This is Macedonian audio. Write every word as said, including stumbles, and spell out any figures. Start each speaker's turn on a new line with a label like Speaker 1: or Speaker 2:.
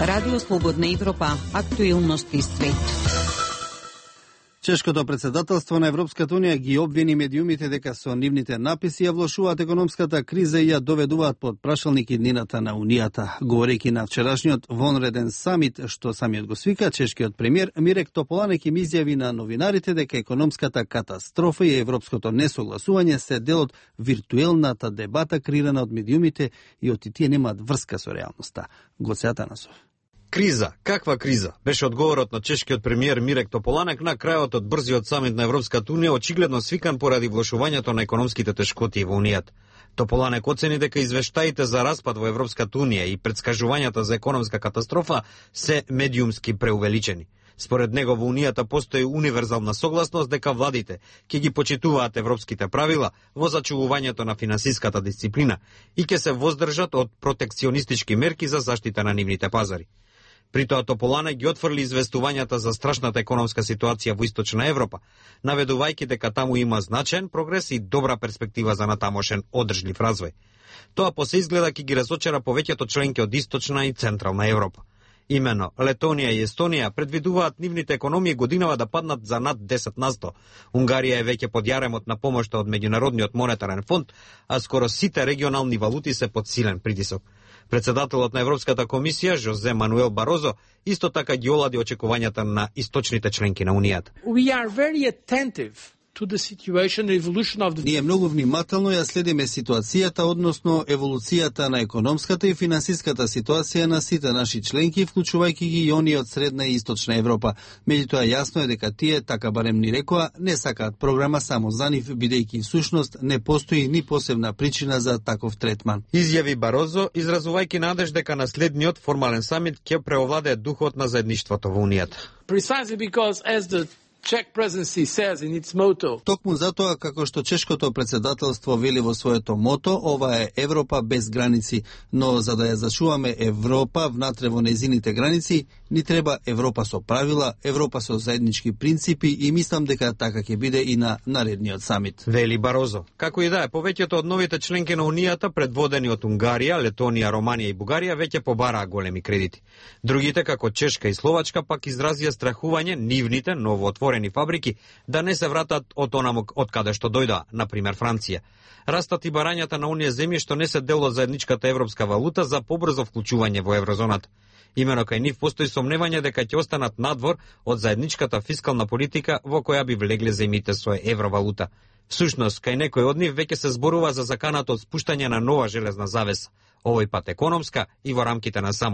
Speaker 1: Радио Слободна Европа, актуелности свет.
Speaker 2: Чешкото председателство на Европската унија ги обвини медиумите дека со нивните написи ја влошуваат економската криза и ја доведуваат под прашалник иднината на Унијата. Говорејќи на вчерашниот вонреден самит, што самиот го свика, чешкиот премиер Мирек Тополанек им изјави на новинарите дека економската катастрофа и европското несогласување се дел од виртуелната дебата креирана од медиумите и од тие немаат врска со реалноста. Гоце Атанасов.
Speaker 3: Криза, каква криза? Беше одговорот на чешкиот премиер Мирек Тополанек на крајот од брзиот самит на Европската унија, очигледно свикан поради влошувањето на економските тешкоти во Унијата. Тополанек оцени дека извештаите за распад во Европската унија и претскажувањата за економска катастрофа се медиумски преувеличени. Според него во Унијата постои универзална согласност дека владите ќе ги почитуваат европските правила во зачувувањето на финансиската дисциплина и ќе се воздржат од протекционистички мерки за заштита на нивните пазари. При тоа Тополанек ги отфрли известувањата за страшната економска ситуација во Источна Европа, наведувајќи дека таму има значаен прогрес и добра перспектива за натамошен одржлив развој. Тоа по се изгледа ќе ги разочара повеќето членки од Источна и Централна Европа. Имено, Летонија и Естонија предвидуваат нивните економии годинава да паднат за над десет на сто. Унгарија е веќе под јаремот на помошта од Меѓународниот монетарен фонд, а скоро сите регионални валути се под силен притисок. Председателот на Европската комисија, Жозе Мануел Барозо, исто така ги олади очекувањата на источните членки на Унијата.
Speaker 4: We are very attentive to the situation, evolution of the...
Speaker 2: Ние многу внимателно ја следиме ситуацијата, односно еволуцијата на економската и финансиската ситуација на сите наши членки, вклучувајќи ги и оние од Средна и Источна Европа. Меѓутоа јасно е дека тие, така барем ни рекоа, не сакаат програма само за нив, бидејќи всушност не постои ни посебна причина за таков третман.
Speaker 3: Изјави Барозо, изразувајќи надеж дека на следниот формален самит ќе преовладее духот на заедништвото во Унијата.
Speaker 4: Precisely because as the Czech presidency says in its motto.
Speaker 2: Токму затоа, како што чешкото председателство вели во своето мото, ова е Европа без граници, но за да ја зачуваме Европа внатре во нејзините граници, ни треба Европа со правила, Европа со заеднички принципи и мислам дека така ќе биде и на наредниот самит.
Speaker 3: Вели Барозо. Како и да е, повеќето од новите членки на Унијата, предводени од Унгарија, Летонија, Романија и Бугарија, веќе побараа големи кредити. Другите, како Чешка и Словачка, пак изразија страхување нивните новоотворени фабрики да не се вратат од онаму од каде што дојдоа, на пример Франција. Растат и барањата на оние земји што не се дел од заедничката европска валута за побрзо вклучување во еврозоната. Имено кај нив постои сомневање дека ќе останат надвор од заедничката фискална политика во која би влегле земјите со евровалута. Всушност, кај некој од нив веќе се зборува за заканата од спуштање на нова железна завеса, овој пат економска и во рамките на само